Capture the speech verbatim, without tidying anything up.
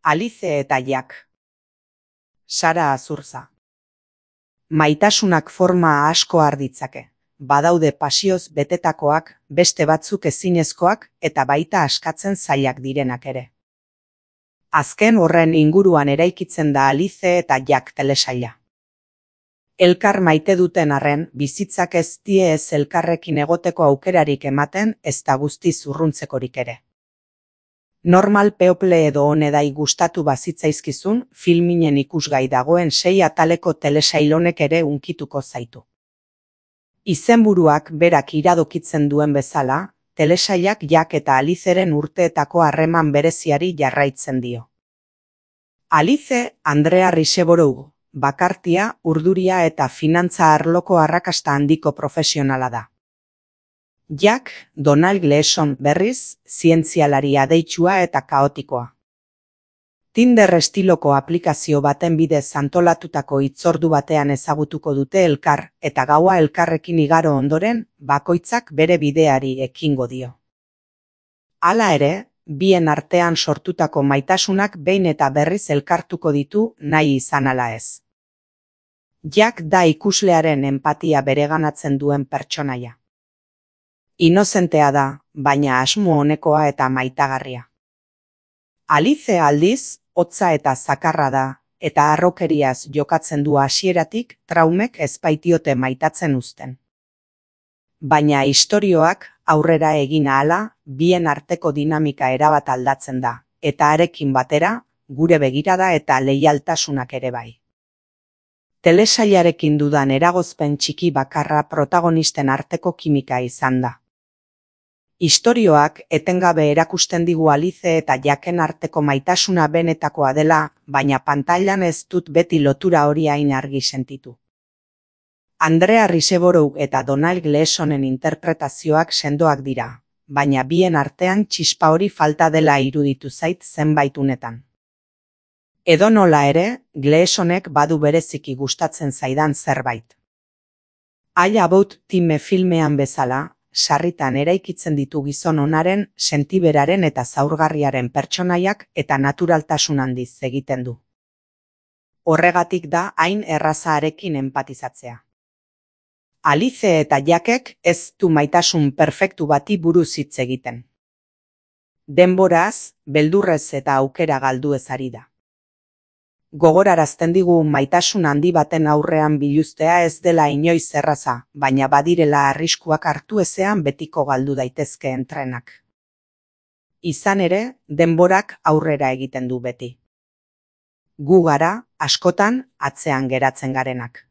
Alice eta Jack. Sara Azurza. Maitasunak forma asko har ditzake. Badaude pasioz betetakoak, beste batzuk ezinezkoak eta baita askatzen zailak direnak ere. Azken horren inguruan eraikitzen da Alice eta Jack telesaila. Elkar maite duten arren, bizitzak ez die ez elkarrekin egoteko aukerarik ematen, ezta guztiz urruntzekorik ere. Normal people edo honedai gustatu bazitzaizkizun, filminen ikusgai dagoen sei ataleko telesail honek ere unkituko zaitu. Izenburuak berak iradokitzen duen bezala, telesailak Jack eta Aliceren urteetako harreman bereziari jarraitzen dio. Alice, Andrea Riseborough, bakartia, urduria eta finantza arloko arrakasta handiko profesionala da. Jack, Donald Gleason berriz, zientzialari adeitsua eta kaotikoa. Tinder estiloko aplikazio baten bidez antolatutako hitzordu batean ezagutuko dute elkar, eta gaua elkarrekin igaro ondoren, bakoitzak bere bideari ekingo dio. Hala ere, bien artean sortutako maitasunak behin eta berriz elkartuko ditu nahi izan ala ez. Jack da ikuslearen enpatia bereganatzen duen pertsonaia. Inozentea da, baina asmo onekoa eta maitagarria. Alice aldiz, hotza eta zakarra da, eta harrokeriaz jokatzen du hasieratik traumek ez baitiote maitatzen uzten. Baina istorioak aurrera egin ahala, bien arteko dinamika erabat aldatzen da, eta harekin batera, gure begirada eta leialtasunak ere bai. Telesailarekin dudan eragozpen txiki bakarra protagonisten arteko kimika izan da. Istorioak etengabe erakusten digu Alice eta Jacken arteko maitasuna benetakoa dela, baina pantailan ez dut beti lotura hori hain argi sentitu. Andrea Riseborough eta Donald Gleasonen interpretazioak sendoak dira, baina bien artean txispa hori falta dela iruditu zait zenbait unetan. Edonola ere, Gleasonek badu bereziki gustatzen zaidan zerbait. All About Time filmean bezala, sarritan eraikitzen ditu gizon onaren, sentiberaren eta zaurgarriaren pertsonaiak eta naturaltasun handiz egiten du. Horregatik da hain erraza harekin enpatizatzea. Alice eta Jackek ez du maitasun perfektu bati buruz hitz egiten. Denboraz, beldurrez eta aukera galdu ez ari da. Gogorarazten digu maitasun handi baten aurrean biluztea ez dela inoiz erraza, baina badirela arriskuak hartu ezean betiko galdu daitezkeen trenak. Izan ere, denborak aurrera egiten du beti. Gu gara, askotan, atzean geratzen garenak.